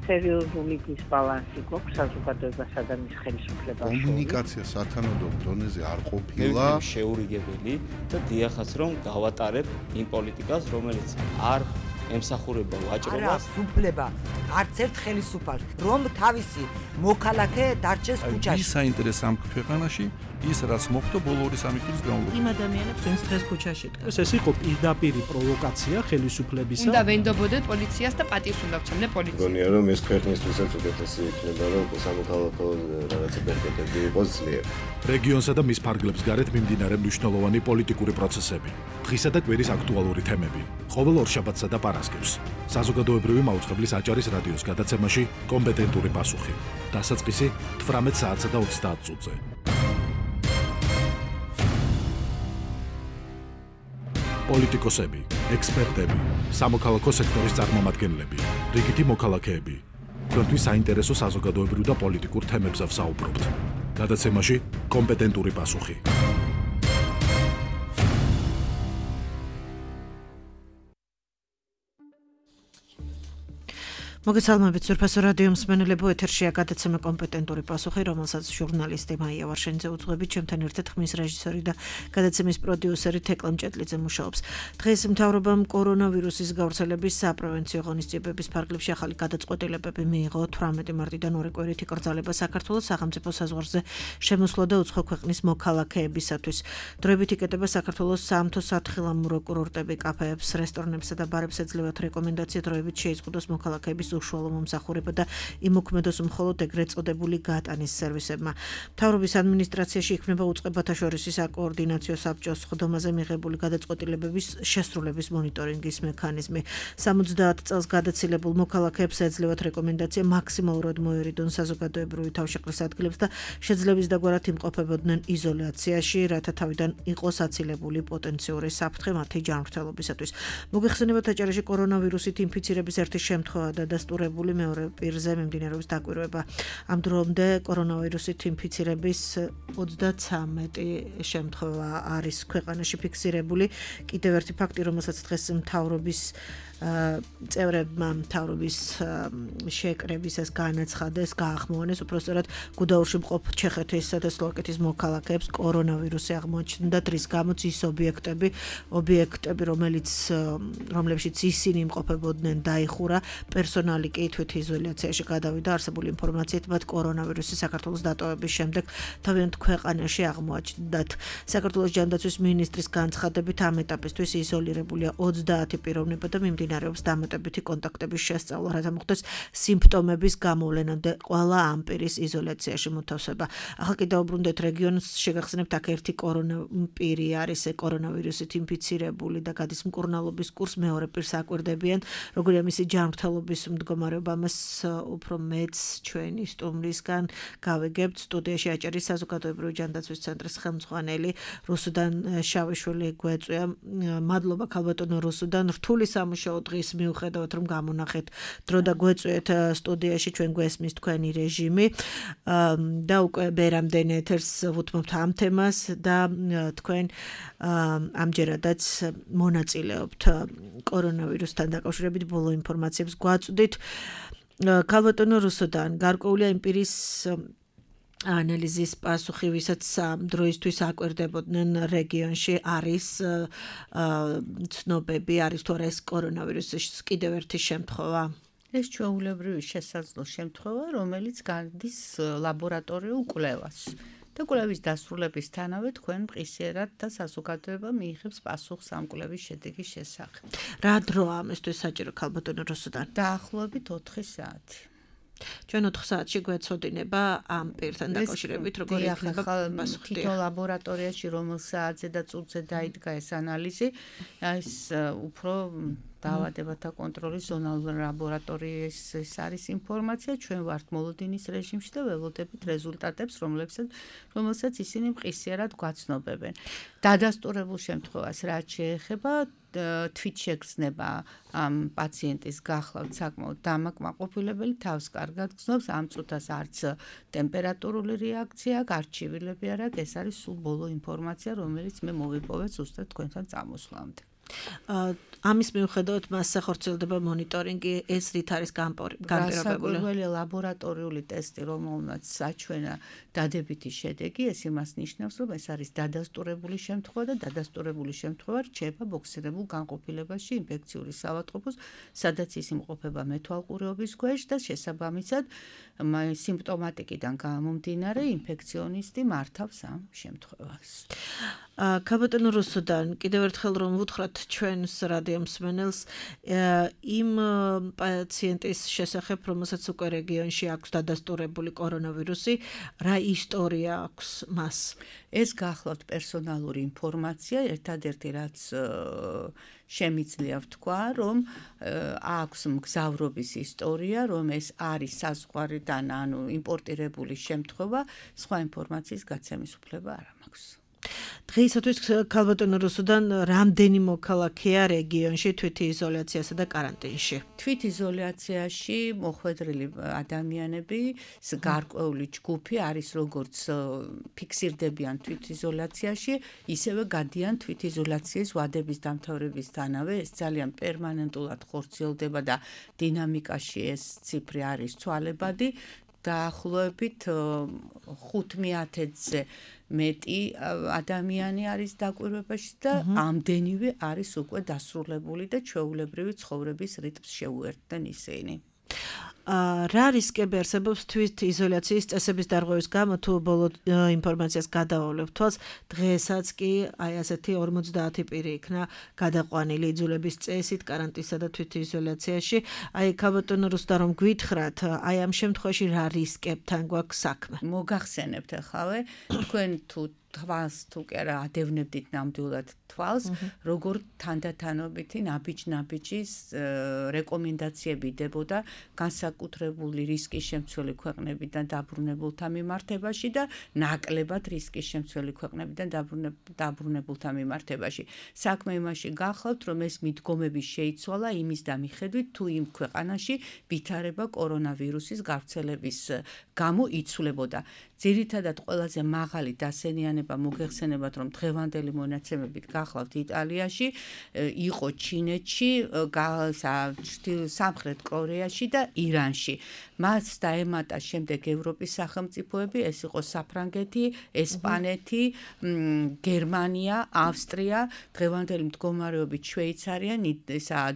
სერიოზული დისბალანსი გვაქვს საზოგადოებასა და მის ხელისუფლებას შორის. კომუნიკაცია სათანადო დონეზე არ ყოფილა. შეურიგებელი და დიახაც რომ გავატარებ იმ პოლიტიკას, რომელიც არ ემსახურება ვაჭრობას. სუფლება არც ერთ ხელისუფალს, რომ თავისი მოქალაქე დარჩეს ქუჩაში. ის საინტერესო ამ ქვეყანაში ის რაც მოხდა ბოლო 2-3 წლის განმავლობაში. იმ ადამიანებს ვინც დღეს ქუჩაში დგას. ეს იყო პირდაპირი პროვოკაცია ხელისუფლებისა. უნდა ვენდობოდეთ პოლიციას და პატივს უნდა ვცემდე პოლიციას. გონია რომ ეს ქვეყნისთვისაც უკეთესი იქნება რომ სამოქალაქო რაღაცა ბერკეტები იყოს ძლიერ. რეგიონსა და მის ფარგლებს გარეთ მიმდინარე მნიშვნელოვანი პოლიტიკური პროცესები, დღისა და კვირის აქტუალური თემები, ყოველ ორშაბათსა და პარასკევს. საზოგადოებრივი მაუწყებლის აჭარის რადიოს გადაცემაში კომპეტენტური პასუხი. დასაწყისი 18 საათსა და 30 წუთზე. პოლიტიკოსები, ექსპერტები, სამოქალაქო სექტორის წარმომადგენლები, რიგითი მოქალაქეები. თქვენთვის საინტერესო საზოგადოებრივ და პოლიტიკურ თემებზე ვსაუბრობთ. გადაცემაში კომპეტენტური პასუხი. მოგესალმებით სურფასო რადიო მსმენელებო, ეთერშია გადაცემა კომპეტენტური პასუხი, რომელსაც ჟურნალისტი მაია ვარშენიძე უძღვებით, ჩემთან ერთად ხმის რეჟისორი და გადაცემის პროდიუსერი თეკლა მჭეტლიძე მუშაობს. დღეს მთავრობამ კორონავირუსის გავრცელების საპრევენციო ღონისძიებების ფარგლებში ახალი გადაწყვეტილებები მიიღო. 18 მარტიდან 2 კვირით იკრძალება საქართველოს სახელმწიფო საზღვარზე შემოსვლა და უცხო ქვეყნის მოქალაქეებისათვის. დროებით იკეტება საქართველოს საამთო სათხილამურო კურორტები, კაფეებს, რესტორნებსა და ბარებს ეძლევათ რეკომენდაცია დროებით შეიზღუდოს მოქალაქეების უშუალო მომსახურება და იმოქმედოს მხოლოდ ეგრეთ წოდებული გატანის სერვისებმა. მთავრობის ადმინისტრაციაში იქმნება უწყებათა შორის საკოორდინაციო საბჭოს ხდომაზე მიღებული გადაწყვეტილებების შესრულების მონიტორინგის მექანიზმი. 70 წელს გადაცილებულ მოქალაქეებს ეძლევათ რეკომენდაცია მაქსიმალურად მოერიდონ საზოგადოებრივი თავშეყრის ადგილებს და შეძლების დაგვარად იმყოფებოდნენ იზოლაციაში, რათა თავიდან იყოს აცილებული პოტენციური საფრთხე მათი ჯანმრთელობისათვის. მოგეხსენებათ, აჭარაში კორონავირუსით ინფიცირების ერთი შემთხვევა და დასტურებული მეორე პირზე მიმდინარეობს დაკვირვება. ამ დრომდე კორონავირუსით ინფიცირების 33 შემთხვევა არის ქვეყანაში ფიქსირებული. კიდევ ერთი ფაქტი, რომელსაც დღეს მთავრობის წევრებმა მთავრობის შეკრებისას განაცხადეს, გაახმოვანეს, უпростоრად გუდაურში მყოფ ჩეხეთისა და სლოვაკეთის მოქალაქეებს კორონავირუსი აღმოაჩნდათ, რის გამოც ის ობიექტები, რომლებშიც ისინი იმყოფებოდნენ, დაიხურა. პერსონალი კი თვითიზოლაციაში გადავიდა. არსებული ინფორმაციით მათ კორონავირუსი საქართველოს დატოვების შემდეგ თავიანთ ქვეყანაში აღმოაჩნდათ. საქართველოს ჯანდაცვის მინისტრის განცხადებით ამ ეტაპისთვის იზოლირებულია 30 პიროვნება და მიმდინარეობს დამატებითი კონტაქტების შესწავლა, რათა მოხდეს სიმპტომების გამოვლენამდე ყველა ამ პირის იზოლაციაში მოთავსება. ახლა კიდევ უბრუნდეთ რეგიონს, შეგახსენებთ, აქ ერთი პირი არის კორონავირუსით ინფიცირებული და გადის მკურნალობის კურსს, მეორე პირს აკვირდებიან, როგორია მისი ჯანმრთელობის მდგომარეობა. ამას უფრო მეც ჩვენი სტუმრისგან გავიგებთ. სტუდიაში აჭარის საზოგადოებრივი ჯანდაცვის ცენტრის ხელმძღვანელი რუსუდან შავიშვილი გვეწვია. მადლობა ქალბატონო რუსუდან, რთული სამუშაო დღის მიუხედავად რომ გამონახეთ დრო და გვეწვიეთ სტუდიაში, ჩვენ გვესმის თქვენი რეჟიმი და უკვე ბერამდენ ეთერს ვუთმობთ ამ თემას და თქვენ ამჯერადაც მონაწილეობთ კორონავირუსთან დაკავშირებით, ბოლო ინფორმაციებს გვაწვდით. ქალბატონო რუსუდან, გარკვეულია იმ პირის ანალიზის პასუხი, ვისაც დროისთვის აკვირდებოდნენ რეგიონში, არის ცნობები, არის თუ არა ეს კორონავირუსის კიდევ ერთი შემთხვევა? ეს ჩვეულებრივი შესაძლო შემთხვევა, რომელიც გადის ლაბორატორიულ კვლევას. და კვლევის დასრულებისთანავე თქვენ მყისიერად და საზოგადოება მიიღებს პასუხს ამ კვლევის შედეგის შესახებ. რა დროა ამისთვის საჭირო ქალბატონო რუსუდან? დაახლოებით 4 საათი. ჩვენ 4 საათში გვეცოდინება ამ პირთან დაკავშირებით, როგორი იქნება პასუხი. თითო ლაბორატორიაში რომელ საათზე და წუთზე დაიდგა ეს ანალიზი, ეს უფრო დაავადებათა კონტროლის ზონალურ ლაბორატორიის ეს არის ინფორმაცია, ჩვენ ვართ მოლოდინის რეჟიმში და ველოდებით რეზულტატებს, რომელსაც ისინი მყისიერად გვაცნობებენ. დადასტურებულ შემთხვევას რაც შეეხება თვითშეგრძნება ამ პაციენტის გახლავთ საკმაოდ დამაკმაყოფილებელი, თავს კარგად გრძნობს, ამ წუთას არც ტემპერატურული რეაქცია, გარჩივილები არ აქვს, ეს არის სულ ბოლო ინფორმაცია, რომელიც მე მოვიპოვე ზუსტად თქვენთან წამოსვლამდე. ამის მიუხედავად მასზე ხორციელდება მონიტორინგი, ეს რით არის განპირობებული? განსაკუთრებული ლაბორატორიული ტესტი, რომელმაც საჩვენა დადებითი შედეგი, ეს იმას ნიშნავს, რომ ეს არის დადასტურებული შემთხვევა და დადასტურებული შემთხვევა რჩება ბოქსირებულ განყოფილებაში ინფექციური საავადმყოფოს, სადაც ის იმყოფება მეთვალყურეობის ქვეშ და შესაბამისად სიმპტომატიკიდან გამომდინარე ინფექციონისტი მართავს ამ შემთხვევას. ქაბატონო რუსუდან, კიდევ ერთხელ რომ ვუთხრათ ჩვენს რადიო მსმენელს იმ პაციენტის შესახებ, რომელსაც უკვე რეგიონში აქვს დადასტურებული კორონავირუსი, რა ისტორია აქვს მას? ეს გახლავთ პერსონალური ინფორმაცია, ერთადერთი რაც შემიძლია ვთქვა, რომ აქვს მგზავრობის ისტორია, რომ ეს არის საზღვარიდან, ანუ იმპორტირებული შემთხვევა, სხვა ინფორმაციის გაცემის უფლება არ მაქვს. დღეისათვის ქალბატონო რუსუდან რამდენი მოქალაქეა რეგიონში თვითიზოლაციასა და კარანტინში? თვითიზოლაციაში მოხვედრილი ადამიანები, გარკვეული ჯგუფი არის როგორც ფიქსირდებიან თვითიზოლაციაში, ისევე გადიან თვითიზოლაციის ვადების დამთავრებისთანავე. ეს ძალიან პერმანენტულად ხორციელდება და დინამიკაში ეს ციფრი არის ცვალებადი. დაახლოებით 500-ზე მეტი ადამიანი არის დაკვირვებაში და ამდენივე არის უკვე დასრულებული და ჩვეულებრივი ცხოვრების რიტმს შეუერთდნენ ისინი. რა რისკები არსებობს თვითიზოლაციის წესების დარღვევის გამო, თუ ბოლო ინფორმაციას გადავავლებ თვალს, დღესაც კი აი ასეთი 50 პირი იქნა გადაყვანილი იძულების წესით კარანტინსა და თვითიზოლაციაში. აი ქაბატონო რუსუდან, რომ გვითხრათ, აი ამ შემთხვევაში რა რისკებთან გვაქვს საქმე? მოგახსენებთ ახავე, თქვენ თვალს თუ კი არა ადევნებდით ნამდვილად თვალს, როგორ თანდათანობითი ნაბიჯ-ნაბიჯის რეკომენდაციები დებოდა განსაკუთრებული რისკის შემცველი ქვეყნებიდან დაბრუნებულთა მიმართებაში და ნაკლებად რისკის შემცველი ქვეყნებიდან დაბრუნებულთა მიმართებაში. საქმე იმაში გახლავთ, რომ ეს მიდგომები შეიცვალა იმის და მიხედვით, თუ იმ ქვეყანაში ვითარება კორონავირუსის გავრცელების გამო იცვლებოდა. ძირითადად ყველაზე მაღალი დასენიანება მოგეხსენებათ, რომ დღევანდელი მონაცემებით გახლავთ იტალიაში, იყო ჩინეთში, სამხრეთ კორეაში და ირანში. მას დაემატა შემდეგ ევროპის სახელმწიფოები, ეს იყო საფრანგეთი, ესპანეთი, გერმანია, ავსტრია, დღევანდელი მდგომარეობით შვეიცარია,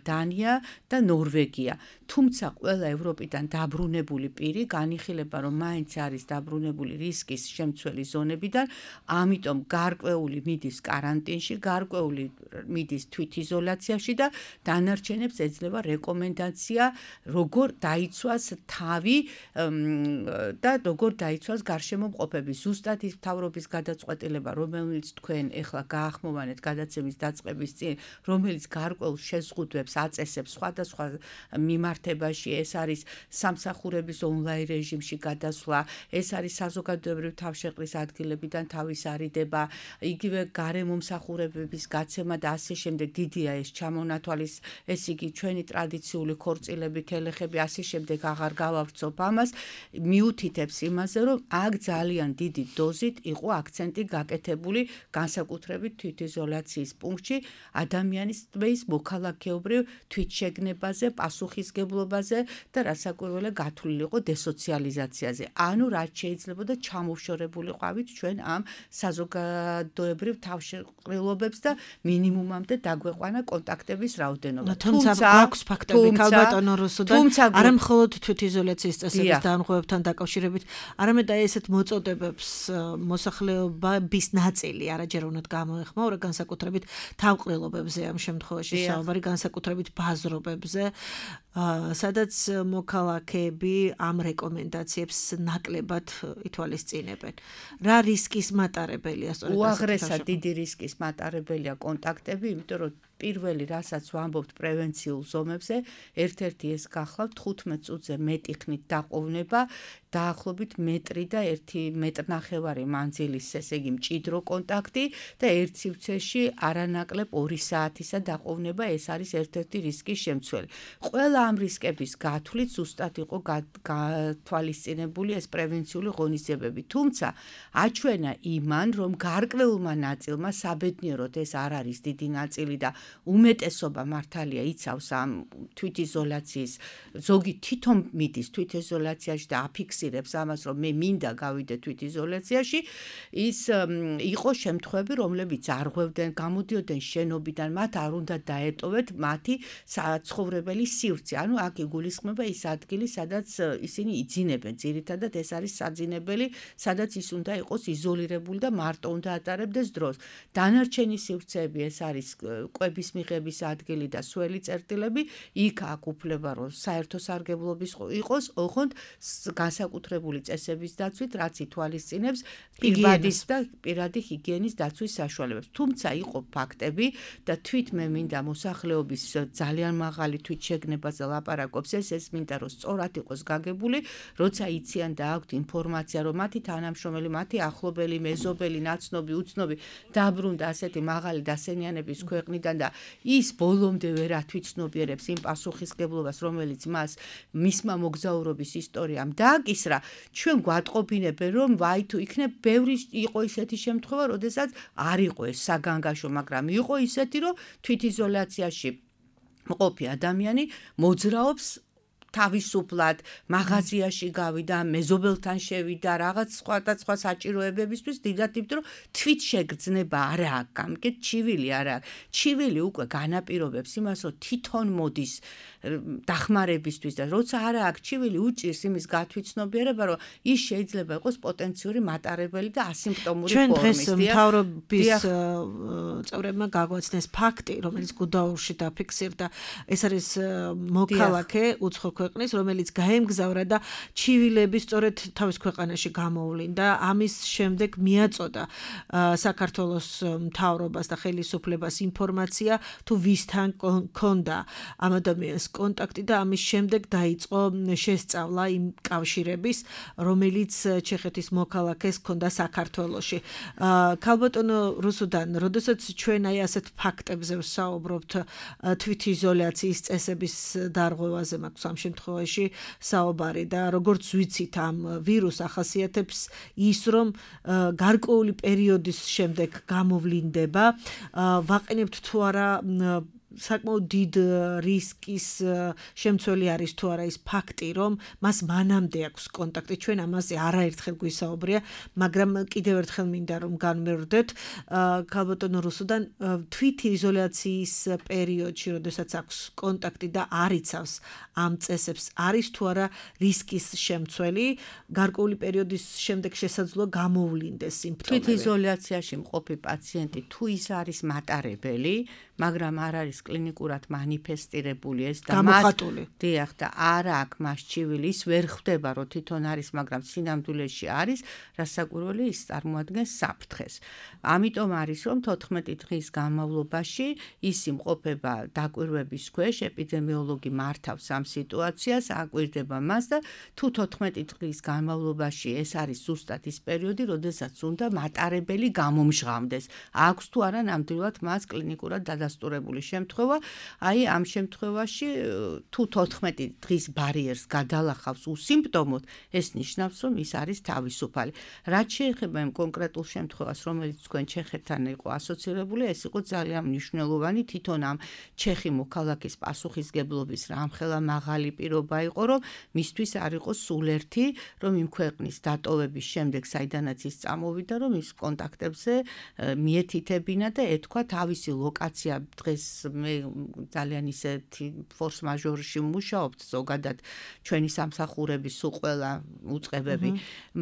დანია და ნორვეგია. თუმცა ყველა ევროპიდან დაბრუნებული პირი განიხილება, რომ მაინც არის დაბრუნებული რისკის შემცველი ზონებიდან, ამიტომ გარკვეული მიდის კარანტინში, გარკვეული მიდის თვითიზოლაციაში და დანარჩენებს ეძლევა რეკომენდაცია, როგორ დაიცვას თავი და როგორ დაიცვას გარშემო მყოფები. ზუსტად ის მთავრობის გადაწყვეტილება, რომელიც თქვენ ეხლა გაახმოვანეთ გადაცემის დაწყების წინ, რომელიც გარკვეულ შეზღუდვებს აწესებს სხვადასხვა მიმართებაში, ეს არის სამსახურების ონლაინ რეჟიმში გადასვლა, ეს არის საზოგადოებრივი თავშეყრის ადგილებიდან თავის არიდება, იგივე გარემომსახურებების გაცემა და ასე შემდეგ. დიდია ეს ჩამონათვალის, ეს იგი ჩვენი ტრადიციული ქორწილები, ქელეხები, ასე შემდეგ აღარ გავავრცობ ამას, მიუთითებს იმაზე, რომ აქ ძალიან დიდი დოზით იყო აქცენტი გაკეთებული განსაკუთრებით თვითიზოლაციის პუნქტში ადამიანის ტბის მოქალაქეობრივ თვითშეგნებაზე, პასუხისგებლობაზე და რასაკვირველია გათვლილი იყო დესოციალიზაციაზე. ანუ რაც შეიძლებოდა ჩამოშორებული ყვავით ჩვენ ამ საზოგადოებრივ თავშეყრილობებს და მინიმუმამდე დაგვეყვანა კონტაქტების რაოდენობა. თუმცა აქვს ფაქტები ქალბატონო რუსუდან, არა მხოლოდ თვითიზოლაციის წესების დანღვევებთან დაკავშირებით, არამედ აი ესეთ მოწოდებებს მოსახლეობის ნაწილი არაჯერ უნდა გამოეხმაურა, განსაკუთრებით თავყრილობებზე ამ შემთხვევაში საუბარი, განსაკუთრებით ბაზრობებზე, სადაც მოქალაქეები ამ რეკომენდაციებს ნაკლებად ითვალისწინებენ. რა რისკის მატარებელია სწორედ ასეთი უაღრესად დიდი რისკის მატარებელია კონტაქტები, იმიტომ რომ პირველი რასაც ვამბობთ პრევენციულ ზომებზე, ერთ-ერთი ეს გახლავთ 15 წუთზე მეტი ხნით დაყოვნება, დაახლოებით მეტრი და 1.5 მეტრ მანძილის, ესე იგი მჭიდრო კონტაქტი და ერთ სივრცეში არანაკლებ 2 საათისა დაყოვნება, ეს არის ერთ-ერთი რისკის შემცველი. ყველა ამ რისკების გათვლით ზუსტად იყო გათვალისწინებული ეს პრევენციული ღონისძიებები. თუმცა აჩვენა იმან, რომ გარკვეულმა ნაწილმა საბედნიეროდ ეს არ არის დიდი ნაწილი და უმეტესობა მართალია იცავს ამ თვითიზოლაციის ზოგი თვითონ მიდის თვითიზოლაციაში და აფიქსირებს ამას რომ მე მინდა გავიდე თვითიზოლაციაში ის იყო შემთხვევები რომლებიც არღვევდნენ გამოდიოდნენ შენობიდან მათ არ უნდა დაეტოვეთ მათი საცხოვრებელი სივრცე ანუ აქ იგულისხმება ის ადგილი სადაც ისინი იძინებენ ძირითადად ეს არის საძინებელი სადაც ის უნდა იყოს იზოლირებული და მარტო უნდა ატარებდეს დროს დანარჩენი სივრცეები ეს არის კვების მიღების ადგილი და სველი წერტილები იქ აქ უფლება რომ საერთო სარგებლობის იყოს ოღონდ განსაკუთრებული წესების დაცვით რაც ითვალისწინებს პირბადის და პირადი ჰიგიენის დაცვის საშუალებებს თუმცა იყო ფაქტები და თვით მე მინდა მოსახლეობის ძალიან მაღალი თვითშეგნებაზე ლაპარაკობს ეს მინდა რომ სწორად იყოს გაგებული როცა იციან და აქვთ ინფორმაცია რომ მათი თანამშრომელი მათი ახლობელი მეზობელი ნაცნობი უცნობი დაბრუნდა ასეთი მაღალი დასენიანების ქვეყნიდან და ის ბოლომდე ვერ ათვითცნობიერებს იმ პასუხისგებლობას რომელიც მას მისმა მოგზაურობის ისტორიამ დააკისრა ჩვენ გვატყობინებენ რომ ვაი თუ იქნებ ბევრი იყო ისეთი შემთხვევა როდესაც არ იყო ეს საგანგაშო მაგრამ იყო ისეთი რომ თვითიზოლაციაში მყოფი ადამიანი მოძრაობს თავისუფლად მაღაზიაში გავიდა მეზობელთან შევიდა რაღაც სხვა საჭიროებებისთვის დიდად იბდო რომ თვით შეგრძნება არა აქვს გამკეთ ჩივილი არა ჩივილი უკვე განაპირობებს იმას რომ თვითონ მოდის დახმარებისთვის და როცა არა აქვს ჩივილი უჭირს იმის გათვითცნობიერება რომ ის შეიძლება იყოს პოტენციური მატარებელი და ასიმპტომური ჩვენ ფორმის დღეს მთავრობის წევრებმა გაგვაცნეს ფაქტი რომელიც გუდაურში დაფიქსირდა ეს არის მოქალაქე უცხო ქვეყნის რომელიც გაემგზავრა და ჩივილები სწორედ თავის ქვეყანაში გამოვლინდა ამის შემდეგ მიაწოდა საქართველოს მთავრობას და ხელისუფლებას ინფორმაცია თუ ვისთან ქონდა ამ ადამიანს კონტაქტი და ამის შემდეგ დაიწყო შესწავლა იმ კავშირების რომელიც ჩეხეთის მოქალაქეს ქონდა საქართველოში ქალბატონო რუსუდან როდესაც ჩვენ აი ასეთ ფაქტებზე ვსაუბრობთ თვითიზოლაციის წესების დარღვევაზე მაქვს ამ შემთხვევაში საუბარი და როგორც ვიცით ამ ვირუს ახასიათებს ის რომ გარკვეული პერიოდის შემდეგ გამოვლინდება ვაყენებთ თუ არა საკმაოდ დიდ რისკის შემცველი არის თუ არა ის ფაქტი რომ მას მანამდე აქვს კონტაქტი ჩვენ ამაზე არაერთხელ გვისაუბრია მაგრამ კიდევ ერთხელ მინდა რომ განმეორდეთ ქალბატონო რუსუდან თვითიზოლაციის პერიოდში როდესაც აქვს კონტაქტი და არიცავს ამ წესებს არის თუ არა რისკის შემცველი გარკვეული პერიოდის შემდეგ შესაძლოა გამოვლინდეს სიმპტომები თვითიზოლაციაში მყოფი პაციენტი თუ ის არის მატარებელი მაგრამ არ არის კლინიკურად მანიფესტირებული ეს და გამოხატული. დიახ და არა აქვს მას ჩივილი ის ვერ ხვდება რომ თვითონ არის მაგრამ სინამდვილეში არის რასაკვირველი ის წარმოადგენს საფრთხეს ამიტომ არის რომ 14 დღის განმავლობაში ის იმყოფება დაკვირვების ქვეშ ეპიდემიოლოგი მართავს ამ სიტუაციას აკვირდება მას და თუ 14 დღის განმავლობაში ეს არის ზუსტად ის პერიოდი როდესაც უნდა მატარებელი გამომჟღავდეს აქვს თუ არა ნამდვილად მას კლინიკურად დადასტურებული შემთხვევა აი ამ შემთხვევაში თუ 14 დღის ბარიერს გადალახავს უსიმპტომოდ ეს ნიშნავს რომ ის არის თავისუფალი რაც შეეხება იმ კონკრეტულ შემთხვევას რომელიც თქვენ ჩეხეთთან იყო ასოცირებული ეს იყო ძალიან მნიშვნელოვანი თვითონ ამ ჩეხი მოქალაქის პასუხისგებლობის რამხელა მაღალი პირობა იყო რომ მისთვის არ იყო სულ ერთი რომ იმ ქვეყნის დატოვების შემდეგ საიდანაც ის წამოვიდა რომ ის კონტაქტებზე მიეთითებინა და ეთქვა თავისი ლოკაცია დღეს მე ძალიან ისეთი ფორს მაჟორში მუშაობთ ზოგადად ჩვენი სამსახურების სულ ყველა უწყებები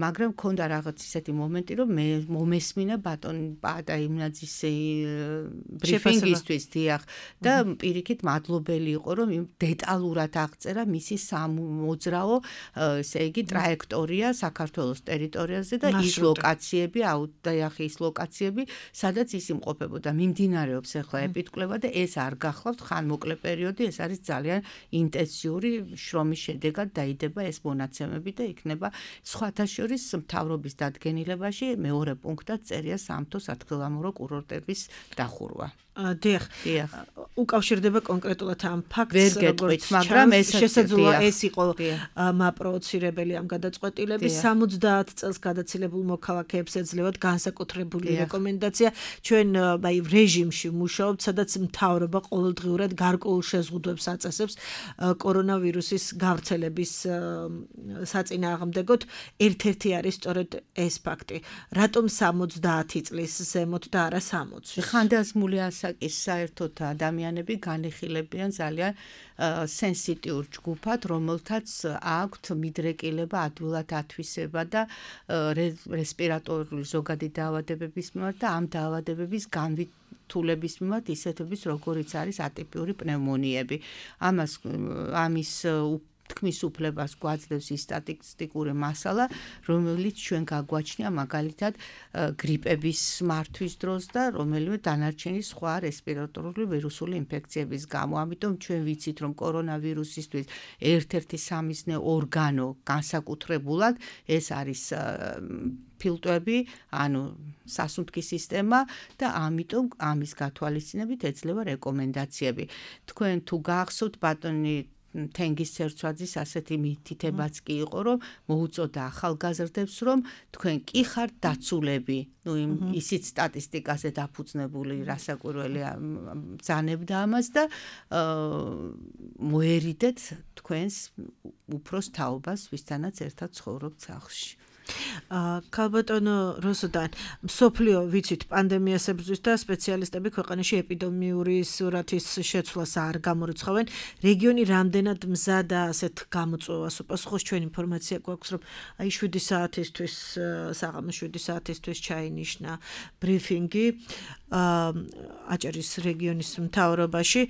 მაგრამ მქონდა რაღაც ისეთი მომენტი რომ მე მომესმინა ბატონ პატა იმნაძის ბრიფინგისთვის დიახ და პირიქით მადლობელი იყო რომ დეტალურად აღწერა მისი სამოძრაო ესე იგი ტრაექტორია საქართველოს ტერიტორიაზე და ის ლოკაციები აუდიახი ის ლოკაციები სადაც ის იმყოფებოდა მიმდინარეობს ახლა ეპიდკვლევა და ეს არ გახლავთ ხანმოკლე პერიოდი ეს არის ძალიან ინტენსიური შრომის შედეგად დაიდება ეს მონაცემები და იქნება სხვათა შორის მთავრობის დადგენილებაში მეორე პუნქტად წერია სამთო სათხილამურო კურორტების დახურვა დიახ უკავშირდება კონკრეტულად ამ ფაქტს ვერ გეტყვით მაგრამ ეს შესაძლოა ეს იყო მაპროვოცირებელი ამ გადაწყვეტილების 70 წელს გადაცილებულ მოქალაქეებს ეძლევათ განსაკუთრებული რეკომენდაცია ჩვენ აი რეჟიმში მუშაობთ სადაც მთავრობა ყოველდღიურად გარკვეულ შეზღუდვებს აწესებს კორონავირუსის გავრცელების საწინააღმდეგოდ, ერთ-ერთი არის სწორედ ეს ფაქტი. რატომ 70 წლის ზემოთ და არა 60? ხანდაზმული ასაკის საერთოდ ადამიანები განიხილებიან ძალიან სენსიტიურ ჯგუფად, რომელთაც აქვთ მიდრეკილება, ადვილად ათვისება და რესპირატორული ზოგადი დაავადებების მიმართ და ამ დაავადებების განვითულების მიმართ ისეთების, როგორიც არის ატიპიური პნევმონიები. ამის თქმის უფლებას გვაძლევს ის სტატისტიკური მასალა, რომელიც ჩვენ გაგვაჩნია მაგალითად გრიპების მართვის დროს და რომელიმე დანარჩენი სხვა რესპირატორული ვირუსული ინფექციების გამო. ამიტომ ჩვენ ვიცით, რომ კორონავირუსისთვის ერთ-ერთი სამიზნე ორგანო განსაკუთრებულად ეს არის ფილტვები, ანუ სასუნთქის სისტემა და ამიტომ ამის გათვალისწინებით ეძლევა რეკომენდაციები. თქვენ თუ გახსოვთ ბატონი თენგის ცერცვაძის ასეთი მითითებაც კი იყო, რომ მოუწოდა ახალგაზრდებს, რომ თქვენ კი ხართ დაცულები, ისიც სტატისტიკაზე დაფუძნებული რასაკვირველი ბრძანებდა ამას და მოერიდეთ თქვენს უფროს თაობას, ვისთანაც ერთად ცხოვრობთ სახლში. ქალბატონო როსოდან, მსოფლიო ვიცით პანდემიას ებრძვის და სპეციალისტები ქვეყანაში ეპიდემიური სურათის შეცვლას არ გამორიცხავენ. რეგიონი რამდენად მზადა ასეთ გამოწვევას უპასუხოს? ჩვენ ინფორმაცია გვაქვს, რომ 7 საათისთვის, საღამოს 7 საათისთვის ჩაინიშნა ბრიფინგი აჭარის რეგიონის მთავრობაში.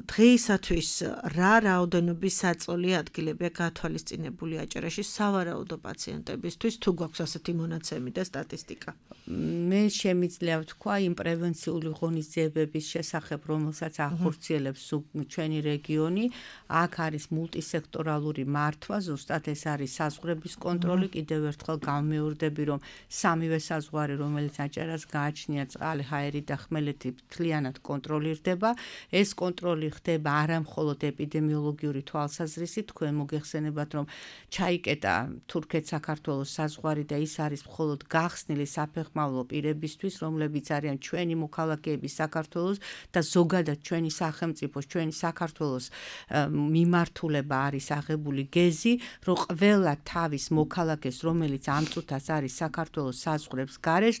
დღეისათვის რა რაოდენობის საწოლი ადგილებია გათვალისწინებული აჭარაში სავარაუდო პაციენტებისთვის, თუ გვაქვს ასეთი მონაცემი და სტატისტიკა? მე შემიძლია ვთქვა იმ პრევენციული ღონისძიებების შესახებ, რომელსაც ახორციელებს ჩვენი რეგიონი. აქ არის მულტისექტორალური მართვა, ზუსტად ეს არის საზღვრების კონტროლი. კიდევ ერთხელ გამეორდები, რომ სამივე საზღვარი, რომელიც აჭარას გააჩნია, წყალი, ჰაერი და ხმელეთი მთლიანად კონტროლირდება. ეს კონტროლი ხდება არა მხოლოდ ეპიდემიოლოგიური თვალსაზრისით, თქვენ მოგეხსენებათ, რომ ჩაიკეტა თურქეთ-საქართველოს საზღვარი და ის არის მხოლოდ გახსნილი საფეხმავლო პირებისთვის, რომლებიც არიან ჩვენი მოქალაქეები საქართველოს და ზოგადად ჩვენი სახელმწიფოს, ჩვენი საქართველოს მიმართულება არის აღებული გეზი, რომ ყველა თავის მოქალაქეს, რომელიც ამ წუთას არის საქართველოს საზღვრებს გარეშ,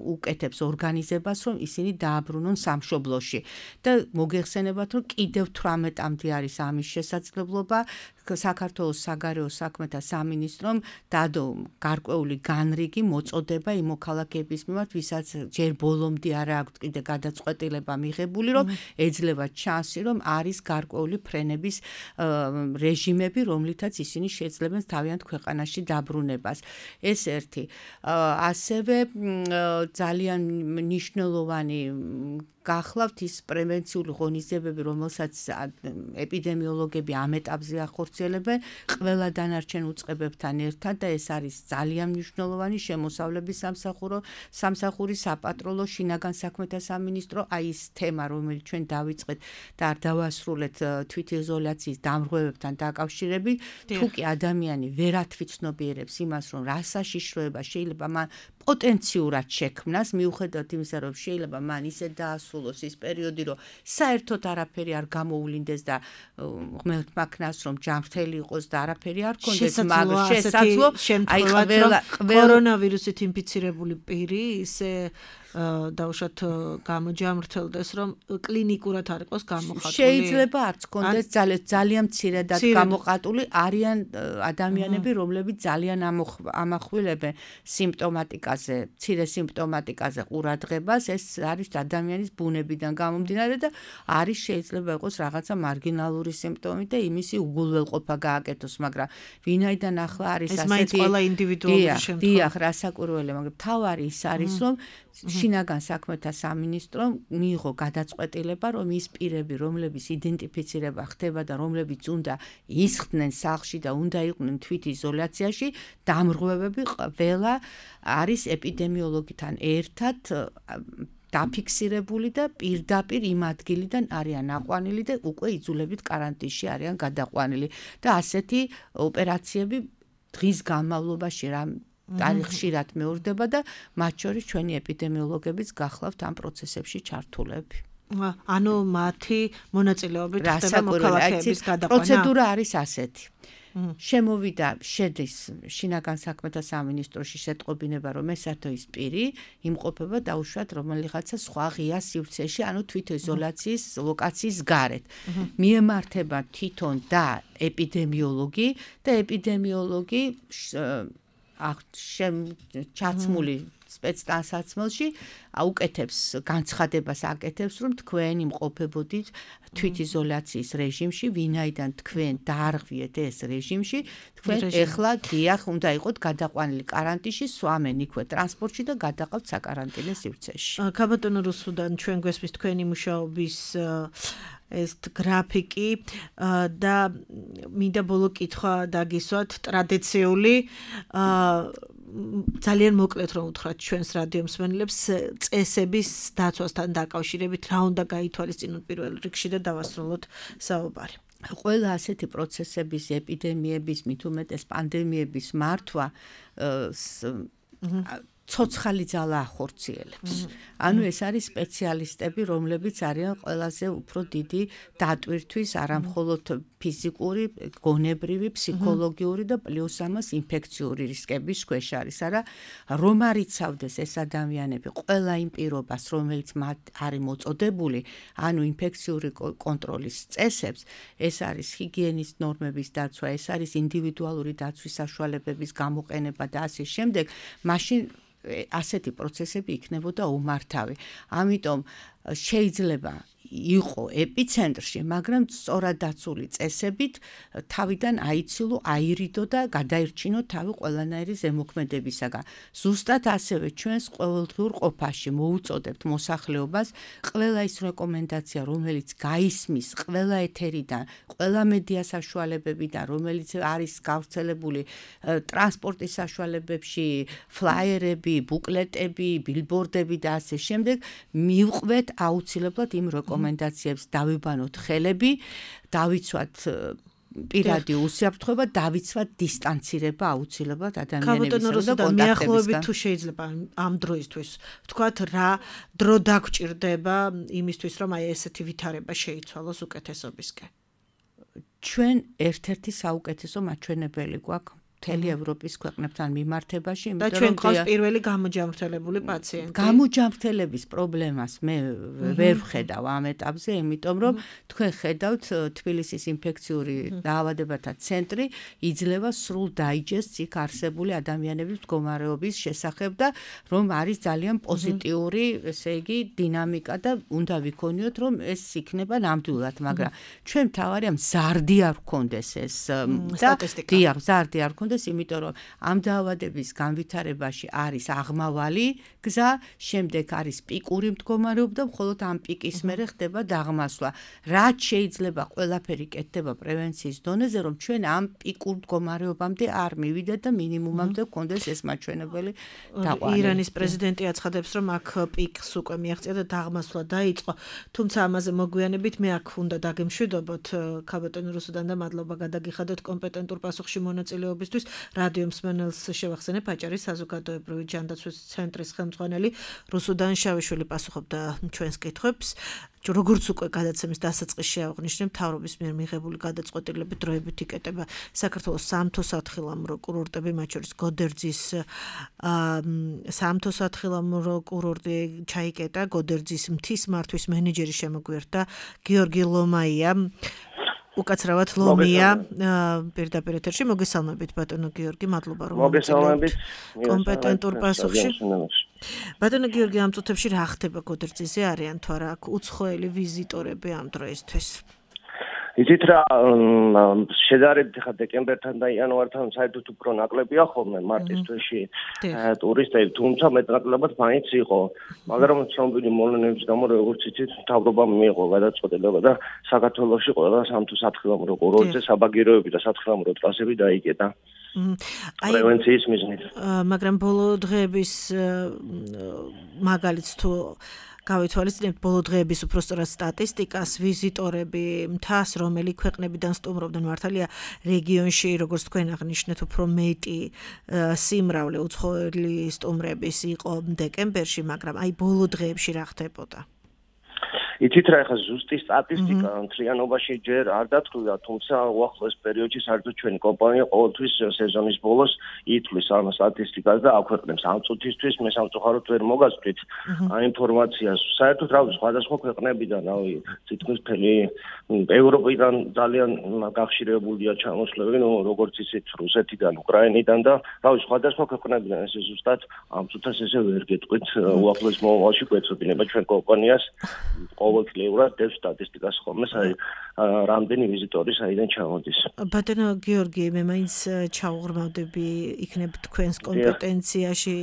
უკეთებს ორგანიზებას, რომ ისინი დააბრუნონ სამშობლოში. და მოგეხსენებათ, რომ კიდევ 18-მდე არის ამის შესაძლებლობა. საქართველოს საგარეო საქმეთა სამინისტრომ დადო გარკვეული განრიგი მოწოდება იმ მოქალაქეების მიმართ, ვისაც ჯერ ბოლომდე არ აქვთ კიდე გადაწყვეტილება მიღებული, რომ ეძლევა ჩანსი, რომ არის გარკვეული ფრენების რეჟიმები, რომლითაც ისინი შეძლებენ თავიანთ ქვეყანაში დაბრუნებას. ეს ერთი. ასევე ძალიან მნიშვნელოვანი გახლავთ ის პრევენციული ღონისძიებები, რომელსაც ეპიდემიოლოგები ამ ეტაპზე ახორციელებენ ყველა დანარჩენ უწყებებთან ერთად და ეს არის ძალიან მნიშვნელოვანი შემოსავლების სამსახური, საპატრონო, შინაგან საქმეთა სამინისტრო, აი ეს თემა, რომელიც ჩვენ დავიწყეთ და არ დავასრულეთ თვითიზოლაციის დამრღვევებთან დაკავშირებით, თუ კი ადამიანი ვერ ათვითცნობიერებს იმას, რომ რა საშიშროება შეიძლება მან პოტენციურად შექმნას, მიუხედავად იმისა, რომ შეიძლება მან ისე დაასრულოს ის პერიოდი, რომ საერთოდ არაფერი არ გამოუვლინდეს და ღმერთმა ქნას, რომ ჯანმრთელი იყოს და არაფერი არ ქონდეს, მაგრამ შესაძლო აი ყველა კორონავირუსით ინფიცირებული პირი ისე დაუშვათ გამოჯამრთელდეს, რომ კლინიკურად არ იყოს გამოხატული. შეიძლება არც ქონდეს ძალიან მცირედად გამოხატული, არიან ადამიანები, რომლებიც ძალიან ამახვილებენ სიმპტომატიკაზე, მცირე სიმპტომატიკაზე ყურადღებას, ეს არის ადამიანის ბუნებიდან გამომდინარე და არის შეიძლება იყოს რაღაცა მარგინალური სიმპტომი და იმისი უგულველყოფა გააკეთოს, მაგრამ ვინაიდან ახლა არის ასეთი ეს მაინც ყველა ინდივიდუალური შემთხვევა. დიახ, რასაკვირველია, მაგრამ თავარი ის არის, რომ შინაგან საქმეთა სამინისტრომ მიიღო გადაწყვეტილება, რომ ის პირები, რომლებიც იდენტიფიცირება ხდება და რომლებიც უნდა ისხდნენ სახლში და უნდა იყვნენ თვითიზოლაციაში, დამრღვევები ყველა არის ეპიდემიოლოგთან ერთად დაფიქსირებული და პირდაპირ იმ ადგილიდან არიან აყვანილი და უკვე იძულებით კარანტინში არიან გადაყვანილი და ასეთი ოპერაციები დღის განმავლობაში ხშირად მეორდება და მათ შორის ჩვენი ეპიდემიოლოგებიც გახლავთ ამ პროცესებში ჩართულები. ანუ მათი მონაწილეობით ხდება მოქალაქეების გადაყვანა. პროცედურა არის ასეთი. შემოვიდა შედის შინაგან საქმეთა სამინისტროში შეტყობინება, რომ ესათოის პირი იმყოფება დაუშვათ რომელიღაცა სხვა ღია სივრცეში, ანუ თვითიზოლაციის ლოკაციის გარეთ. მიემართება თვითონ და ეპიდემიოლოგი და ეპიდემიოლოგი ჩაცმული სპეცტანსაცმელში აუკეთებს განცხადებას აკეთებს, რომ თქვენ იმყოფებოდით თვითიზოლაციის რეჟიმში, ვინაიდან თქვენ დაარღვიეთ ეს რეჟიმში, თქვენ ეხლა დიახ უნდა იყოთ გადაყვანილი კარანტინში, swamენ იქვე ტრანსპორტში და გადაყავთ საკარანტინო სივრცეში. ქაბატონო რუსუდან, ჩვენ გვესმის თქვენი მუშაობის ეს გრაფიკი და მინდა ბოლო კითხვა დაგისვათ ტრადიციული ძალიან მოკლედ რომ უთხრათ ჩვენს რადიო მსმენელებს წესების დაცვასთან დაკავშირებით რა უნდა გაითვალისწინოთ პირველ რიგში და დავასრულოთ საუბარი. ყველა ასეთი პროცესების, ეპიდემიების, მით უმეტეს პანდემიების მართვა ცოცხალი ძალა ახორციელებს. ანუ ეს არის სპეციალისტები, რომლებიც არიან ყველაზე უფრო დიდი დატვირთვის არამხოლოდ ფიზიკური, გონებრივი, ფსიქოლოგიური და პლუს ამას ინფექციური რისკების ქვეშ არის, არა რომ არიცავდეს ეს ადამიანები ყველა იმ პირობას, რომელიც მათ არის მოწოდებული, ანუ ინფექციური კონტროლის წესებს, ეს არის ჰიგიენის ნორმების დაცვა, ეს არის ინდივიდუალური დაცვის საშუალებების გამოყენება და ასე შემდეგ, მაშინ ასეთი პროცესები იქნებოდა უმართავი. ამიტომ შეიძლება იყო ეპიცენტრში, მაგრამ სწორად დაცული წესებით თავიდან აიცილო, აირიდო და გადაირჩინო თავი ყველანაირი ზემოქმედებისაგან. ზუსტად ასევე ჩვენს ყოველდღიურ ყოფაში მოუწოდებთ მოსახლეობას ყველა ის რეკომენდაცია, რომელიც გაისმის ყველა ეთერიდან, ყველა მედია საშუალებებიდან, რომელიც არის გავრცელებული ტრანსპორტის საშუალებებში, ფლაიერები, ბუკლეტები, ბილბორდები და ასე შემდეგ, მივყვეთ აუცილებლად იმ რეკომენდაციებს დავიბანოთ ხელები, დავიცვათ პირადი უსაფრთხოება, დავიცვათ დისტანცირება აუცილებლად ადამიანებისგან და მიახლოებით თუ შეიძლება ამ დროისთვის ვთქვათ რა დრო დაგჭირდება იმისთვის რომ აი ესეთი ვითარება შეიცვალოს უკეთესობისკენ. ჩვენ ერთ-ერთი საუკეთესო მაჩვენებელი გვაქვს მთელი ევროპის ქვეყნებთან მიმართებაში, და ჩვენ ყავს პირველი გამოჯამრთელებული პაციენტი. გამოჯამრთელების პრობლემას მე ვერ ვხედავ ამ ეტაპზე, იმიტომ რომ თქვენ ხედავთ თბილისის ინფექციური დაავადებათა ცენტრი იძლევა სრულ დაიჯესტს იქ არსებული ადამიანების მდგომარეობის შესახებ და რომ არის ძალიან პოზიტიური, ესე იგი, დინამიკა და უნდა ვიქონიოთ, რომ ეს იქნება ნამდვილად, მაგრამ ჩვენ მთავარია მზარდი არ გქონდეს ეს სტატისტიკა. დიახ, მზარდი არ გქონდეს, იმიტომ რომ ამ დაავადების განვითარებაში არის აღმავალი გზა, შემდეგ არის პიკური მდგომარეობა და მხოლოდ ამ პიკის მერე ხდება დაღმასვლა. რაც შეიძლება ყველაფერი კეთდება პრევენციის დონეზე, რომ ჩვენ ამ პიკურ მდგომარეობამდე არ მივიდეთ და მინიმუმამდე გქონდეს ეს მაჩვენებელი დაყვანა. ირანის პრეზიდენტი აცხადებს, რომ აქ პიკს უკვე მიაღწია და დაღმასვლა დაიწყო, თუმცა ამაზე მოგვიანებით მე აქ უნდა დაგემშვიდობოთ ქაბატონ რუსუდან და მადლობა გადაგიხადოთ კომპეტენტურ პასუხში მონაწილეობისთვის. რადიო მსმენელს შევახსენებ, აჭარის საზოგადოებრივი ჯანდაცვის ცენტრის ხელმძღვანელი რუსუდან შავიშვილი პასუხობდა ჩვენს კითხვებს. როგორც უკვე გადაცემის დასაწყისში აღნიშნე, მთავრობის მიერ მიღებული გადაწყვეტილებით დროებით იკეტება საქართველოს სამთო სათხილამურო კურორტები, მათ შორის გოდერძის სამთო სათხილამურო კურორტი ჩაიკეტა, გოდერძის მთის მართვის მენეჯერი შემოგვიერთდა გიორგი ლომაია. უკაცრავად ლომია პირდაპირ ეთერში. მოგესალმებით ბატონო გიორგი, მადლობა რომ მოგესალმებით კომპეტენტურ პასუხში. ბატონო გიორგი, ამ წუთებში რა ხდება გოდერძიზე, არიან თუ არა აქ უცხოელი ვიზიტორები ამ დროისთვის? იცით რა, შედარებით ხა დეკემბერთან და იანვართან საერთოდ უფრო ნაკლებია ხოლმე მარტის თვეში ტურისტები, თუმცა მეტნაკლებად მაინც იყო. მაგრამ ცნობილი მოვლენების გამო, როგორც იცით, მთავრობამ მიიღო გადაწყვეტილება და საქართველოში ყველა სამთო სათხილამურო კურორტზე საბაგიროები და სათხილამურო ტრასები დაიკეტა. პრევენციის მიზნით. მაგრამ ბოლო დღეების მაგალითს თუ გავითვალისწინებთ ბოლო დღეების უпростоრად სტატისტიკას, ვიზიტორები, მთას, რომელი ქვეყნებიდან სტუმრობდნენ, მართალია რეგიონში, როგორც თქვენ აღნიშნეთ, უფრო მეტი სიმრავლე უცხოელი სტუმრების იყო დეკემბერში, მაგრამ აი ბოლო დღეებში რა ხდებოდა? იცით რა, ეხლა ზუსტი სტატისტიკა მთლიანობაში ჯერ არ დათვლილია, თუმცა უახლოეს პერიოდში საერთოდ ჩვენი კომპანია ყოველთვის სეზონის ბოლოს ითვლის ამ სტატისტიკას და აქვეყნებს. ამ წუთისთვის მე სამწუხაროდ ვერ მოგასწრით ამ ინფორმაციას. საერთოდ რავი, სხვადასხვა ქვეყნებიდან, რავი, თითქმის მთელი ევროპიდან ძალიან გახშირებულია ჩამოსვლები, როგორც იცით, რუსეთიდან, უკრაინიდან და რავი, სხვადასხვა ქვეყნებიდან. ესე ზუსტად ამ წუთას ესე ვერ გეტყვით, უახლოეს მომავალში გვეცოდინება ჩვენ კომპანიას ყოველწლიურად დევს სტატისტიკას ხოლმე, რამდენი ვიზიტორი საიდან ჩამოდის. ბატონო გიორგი, მე მაინც ჩავღრმავდები იქნებ თქვენს კომპეტენციაში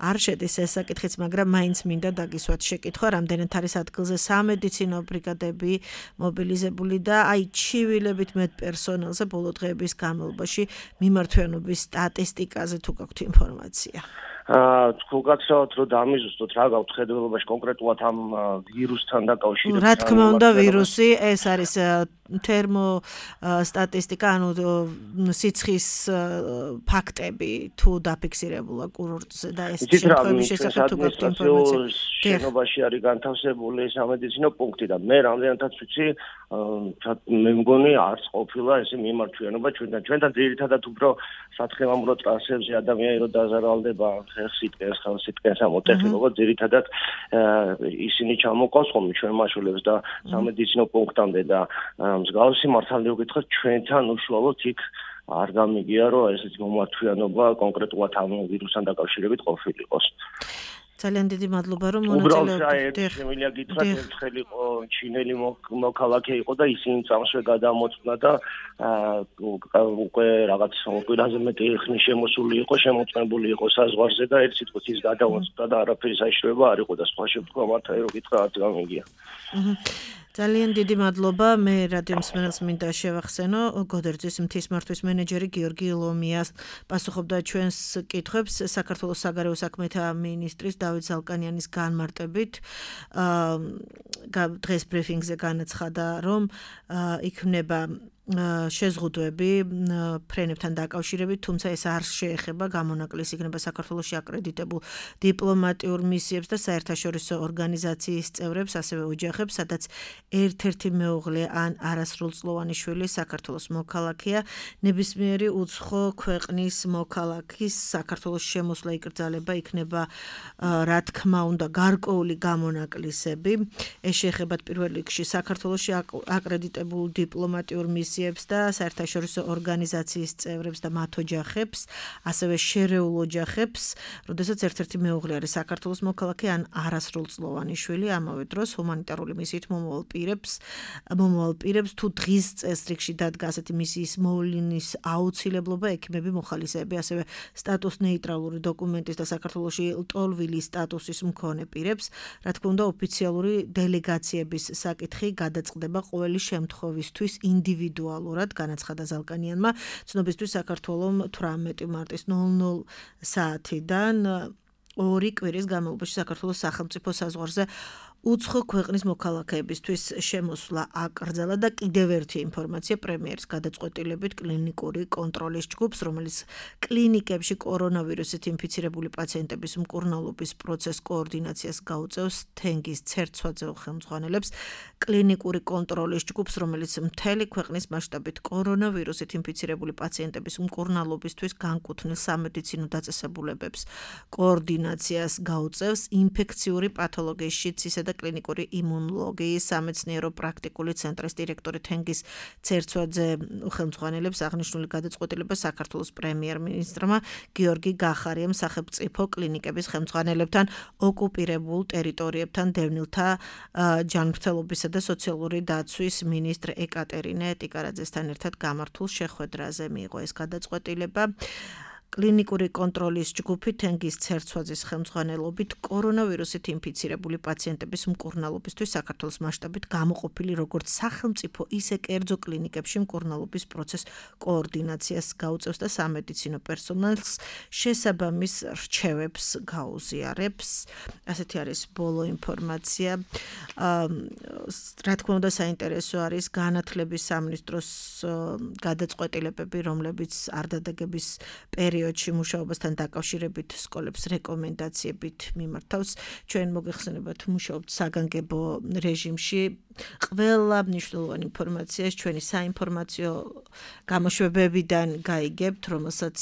არ შედის ეს საკითხიც, მაგრამ მაინც მინდა დაგისვათ შეკითხვა, რამდენად არის ადგილზე სამედიცინო ბრიგადები მობილიზებული და აი ჩივილებით მეტ პერსონალზე ბოლო დღეების განმავლობაში მიმართვიანობის სტატისტიკაზე თუ გაქვთ ინფორმაცია? თუ გაცხოვთ რომ დამიზუსტოთ რა გაქვთ ხედველობაში კონკრეტულად ამ ვირუსთან დაკავშირებით. რა თქმა უნდა ვირუსი ეს არის თერმო სტატისტიკა, ანუ სიცხის ფაქტები თუ დაფიქსირებულა კურორტზე და ეს შემთხვევების შესახებ თუ გაქვთ ინფორმაცია. შენობაში არის განთავსებული სამედიცინო პუნქტი და მე რამდენადაც ვიცი, მე მგონი არც ყოფილა ესე მიმართვიანობა ჩვენთან ძირითადად უფრო სათხილამურო ტრასებზე ადამიანი რომ დაზარალდება ხელ-სიტყვას, ხელ-სიტყვას ამოტეხილობა ძირითადად ისინი ჩამოყავს ხოლმე ჩვენ მაშულებს და სამედიცინო პუნქტამდე და მსგავსი მართალი გითხრათ ჩვენთან უშუალოდ იქ არ გამიგია რომ ესეთი მომართვიანობა კონკრეტულად ამ ვირუსთან დაკავშირებით ყოფილიყოს. ძალიან დიდი მადლობა რომ მონაწილეობთ. შემიძლია გითხრათ ერთხელ იყო ჩინელი მოქალაქე იყო და ისინი წამსვე გადამოწმდა და უკვე რაღაც კვირაზე მეტი ხნის შემოსული იყო, შემოწმებული იყო საზღვარზე და ერთ სიტყვით ის გადამოწმდა და არაფერი საშიშროება არ იყო და სხვა შემთხვევა მართალი რომ გითხრა არც გამიგია. ძალიან დიდი მადლობა. მე რადიო მსმენელს მინდა შევახსენო, გოდერძის მთის მართვის მენეჯერი გიორგი ლომიას პასუხობდა ჩვენს კითხვებს საქართველოს საგარეო საქმეთა მინისტრის დავით ზალკანიანის განმარტებით. დღეს ბრიფინგზე განაცხადა, რომ იქნება შეზღუდვები ფრენებთან დაკავშირებით, თუმცა ეს არ შეეხება გამონაკლისს, იქნება საქართველოში აკრედიტებულ დიპლომატიურ მისიებს და საერთაშორისო ორგანიზაციის წევრებს, ასევე ოჯახებს, სადაც ერთ-ერთი მეუღლე ან არასრულწლოვანი შვილი საქართველოს მოქალაქეა. ნებისმიერი უცხო ქვეყნის მოქალაქის საქართველოს შემოსვლა იკრძალება, იქნება რა თქმა უნდა გარკვეული გამონაკლისები. ეს შეეხება პირველ რიგში საქართველოში აკრედიტებულ დიპლომატიურ მისიებს და საერთაშორისო ორგანიზაციის წევრებს და მათ ოჯახებს, ასევე შერეულ ოჯახებს, როდესაც ერთ-ერთი მეუღლე არის საქართველოს მოქალაქე ან არასრულწლოვანი შვილი, ამავე დროს ჰუმანიტარული მისიით მომავალ პირებს თუ დღის წესრიგში დადგა ასეთი მისიის მოვლინის აუცილებლობა, ექიმები, მოხალისეები, ასევე სტატუს ნეიტრალური დოკუმენტის და საქართველოში ლტოლვილი სტატუსის მქონე პირებს, რა თქმა უნდა, ოფიციალური დელეგაციების საკითხი გადაწყდება ყოველი შემთხვევისთვის ინდივიდუალურად, განაცხადა ზალკანიანმა. ცნობისთვის საქართველოს 18 მარტის 00 საათიდან 2 კვირის განმავლობაში საქართველოს სახელმწიფო საზღვარზე უცხო ქვეყნის მოქალაქეებისთვის შემოსვლა აკრძალა და კიდევ ერთი ინფორმაცია პრემიერის გადაწყვეტილებით კლინიკური კონტროლის ჯგუფს, რომელიც კლინიკებში კორონავირუსით ინფიცირებული პაციენტების მკურნალობის პროცესს კოორდინაციას გაუწევს თენგიზ ცერცვაძე ხელმძღვანელებს. კლინიკური კონტროლის ჯგუფს, რომელიც მთელი ქვეყნის მასშტაბით კორონავირუსით ინფიცირებული პაციენტების მკურნალობისთვის განკუთვნილ სამედიცინო დაწესებულებებს კოორდინაციას გაუწევს ინფექციური პათოლოგიის შიდსისა და კლინიკური იმუნოლოგიის სამეცნიერო პრაქტიკული ცენტრის დირექტორი თენგიზ ცერცვაძე ხელმძღვანელებს აღნიშნული გადაწყვეტილება საქართველოს პრემიერ-მინისტრმა გიორგი გახარიამ სახელმწიფო კლინიკების ხელმძღვანელებთან ოკუპირებულ ტერიტორიებთან დევნილთა ჯანმრთელობისა და სოციალური დაცვის მინისტრ ეკატერინე ტიკარაძესთან ერთად გამართულ შეხვედრაზე მიიღო ეს გადაწყვეტილება. კლინიკური კონტროლის ჯგუფი თენგიზ ცერცვაძის ხელმძღვანელობით კორონავირუსით ინფიცირებული პაციენტების მკურნალობისთვის საქართველოს მასშტაბით გამოყოფილი როგორც სახელმწიფო, ისე კერძო კლინიკებში მკურნალობის პროცესს კოორდინაციას გაუწევს და სამედიცინო პერსონალს შესაბამის რჩევებს გაუზიარებს. ასეთი არის ბოლო ინფორმაცია. რა თქმა უნდა, საინტერესო არის განათლების სამინისტროს გადაწყვეტილებები, რომლებიც არ დადაგების პერიოდში მუშაობასთან დაკავშირებით სკოლებს რეკომენდაციებით მიმართავს. ჩვენ მოგეხსენებათ, მუშაობთ საგანგებო რეჟიმში. ყველა მნიშვნელოვანი ინფორმაციას ჩვენი საინფორმაციო გამოშვებებიდან გაიგებთ, რომელსაც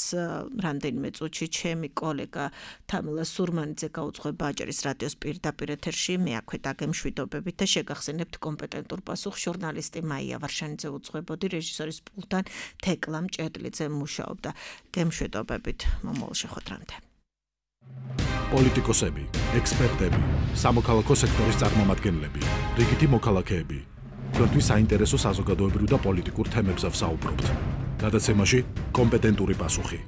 რამდენიმე წუთში ჩემი კოლეგა თამილა სურმანიძე გაუძღვება აჭარის რადიოს პირდაპირ ეთერში. მე აქვე დაგემშვიდობებით და შეგახსენებთ კომპეტენტურ პასუხს ჟურნალისტი მაია ვარშანიძე უძღვებოდი, რეჟისორის პულტთან თეკლა მჭედლიძე მუშაობდა. გემშვიდობებით მომავალ შეხვედრამდე. პოლიტიკოსები, ექსპერტები, სამოქალაქო სექტორის წარმომადგენლები, რიგითი მოქალაქეები. თქვენთვის საინტერესო საზოგადოებრივ და პოლიტიკურ თემებზე ვსაუბრობთ. გადაცემაში კომპეტენტური პასუხი.